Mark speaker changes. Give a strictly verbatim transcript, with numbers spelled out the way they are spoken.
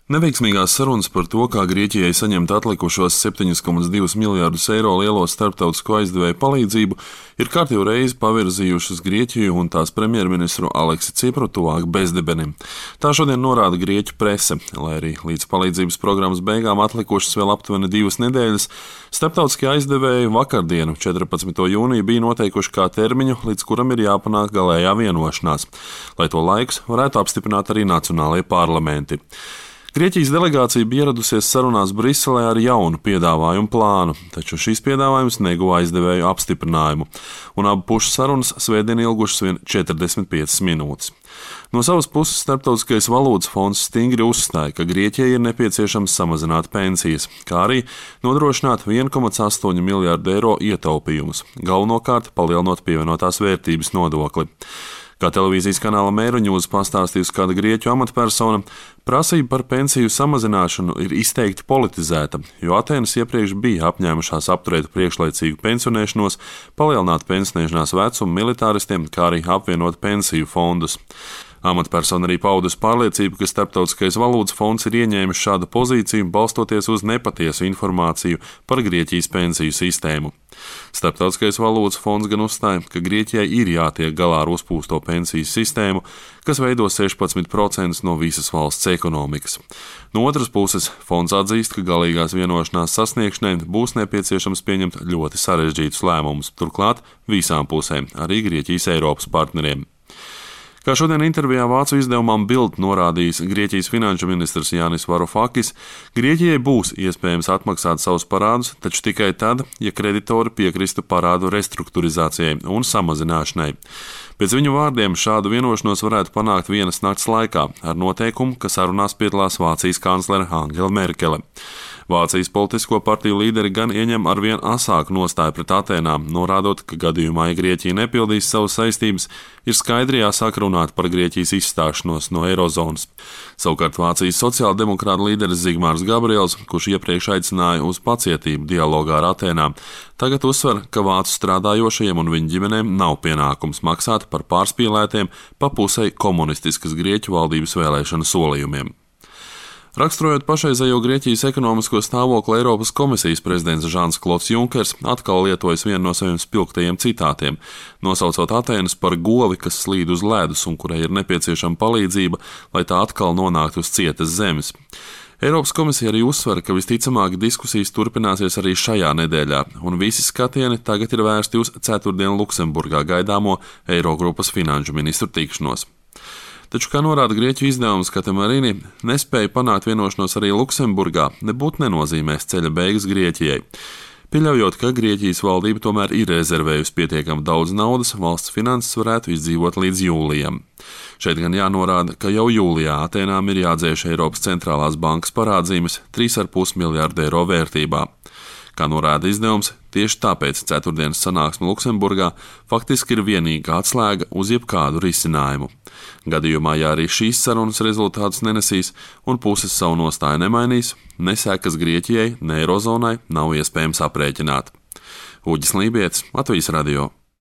Speaker 1: Neveiksmīgās sarunas par to, kā Grieķijai saņemt atlikušos septiņus komats divus miljārdus eiro lielo starptautisko aizdevēju palīdzību, ir kārtīgi reizi pavirzījušas Grieķiju un tās premjerministru Aleksi Cipru tuvāk bezdibenim. Tā šodien norāda Grieķu prese, lai arī līdz palīdzības programmas beigām atlikušas vēl aptuveni divas nedēļas. Starptautiskie aizdevēji vakardienu, četrpadsmito jūniju, bija noteikuši kā termiņu, līdz kuram ir jāpanāk galējā vienošanās, lai to laikus varētu apstiprināt arī nacionālajie parlamenti. Grieķijas delegācija bija ieradusies sarunās Briselē ar jaunu piedāvājumu plānu, taču šīs piedāvājums neguva aizdevēju apstiprinājumu, un abu pušu sarunas svētdien ilgušas vien četrdesmit piecas minūtes. No savas puses Starptautiskais valūtas fonds stingri uzstāja, ka Grieķijai ir nepieciešams samazināt pensijas, kā arī nodrošināt viens komats astoņi miljārdu eiro ietaupījumus, galvenokārt palielinot pievienotās vērtības nodokli. Kā televīzijas kanāla Mēruņūs pastāstījusi kāda grieķu amatpersona, prasība par pensiju samazināšanu ir izteikti politizēta, jo Atēnas iepriekš bija apņēmušās apturēt priekšlaicīgu pensionēšanos, palielināt pensionēšanās vecumu militāristiem, kā arī apvienot pensiju fondus. Amatpersona arī paudusi pārliecību, ka Starptautiskais valūtas fonds ir ieņēmis šādu pozīciju, balstoties uz nepatiesu informāciju par Grieķijas pensiju sistēmu. Starptautiskais valūtas fonds gan uzstāja, ka Grieķijai ir jātiek galā ar uzpūsto pensiju sistēmu, kas veido sešpadsmit procentus no visas valsts ekonomikas. No otras puses, fonds atzīst, ka galīgās vienošanās sasniegšanai būs nepieciešams pieņemt ļoti sarežģītus lēmumus, turklāt visām pusēm, arī Grieķijas Eiropas partneriem. Kā šodien intervijā vācu izdevumam Bild norādījis Grieķijas finanšu ministrs Jānis Varufakis, Grieķijai būs iespējams atmaksāt savus parādus, taču tikai tad, ja kreditori piekristu parādu restruktūrizācijai un samazināšanai. Pēc viņu vārdiem šādu vienošanos varētu panākt vienas nakts laikā ar noteikumu, ka sarunās piedalās Vācijas kanclere Angela Merkele. Vācijas politisko partiju līderi gan ieņem arvien asāku nostāju pret Atēnām, norādot, ka gadījumā, ja Grieķija nepildīs savas saistības, ir skaidri jāsāk runāt par Grieķijas izstāšanos no eirozonas. Savukārt Vācijas sociāldemokrāta līderis Zigmārs Gabriels, kurš iepriekš aicināja uz pacietību dialogā ar Atēnām, tagad uzsver, ka vācu strādājošajiem un viņu ģimenēm nav pienākums maksāt par pārspīlētiem pa pusei komunistiskas Grieķu valdības vēlēšanu solījumiem. Raksturojot pašreizējo Grieķijas ekonomisko stāvokli, Eiropas komisijas prezidents Žans Klods Junkers atkal lietojas vienu no saviem spilgtajiem citātiem, nosaucot Atēnas par govi, kas slīd uz ledus un kurai ir nepieciešama palīdzība, lai tā atkal nonāktu uz cietas zemes. Eiropas komisija arī uzsver, ka visticamāk diskusijas turpināsies arī šajā nedēļā, un visi skatieni tagad ir vērsti uz ceturtdien Luksemburgā gaidāmo Eirogrupas finanšu ministru tikšanos. Taču, kā norāda Grieķu izdevums Katemarini, nespēja panākt vienošanos arī Luksemburgā nebūtu nenozīmēs ceļa beigas Grieķijai. Pieļaujot, ka Grieķijas valdība tomēr ir rezervējusi pietiekami daudz naudas, valsts finanses varētu izdzīvot līdz jūlijam. Šeit gan jānorāda, ka jau jūlijā Atēnām ir jādzēš Eiropas centrālās bankas parādzīmes trīs komats pieci miljārdu eiro vērtībā. Kā norāda izdevums, tieši tāpēc ceturtdienas sanāksme Luksemburgā faktiski ir vienīgā atslēga uz jebkādu risinājumu. Gadījumā, ja arī šīs sarunas rezultātus nenesīs un puses savu nostāju nemainīs, ne sekas Grieķijai, ne Eirozonai nav iespējams aprēķināt. Uģis Lībietis, Latvijas radio.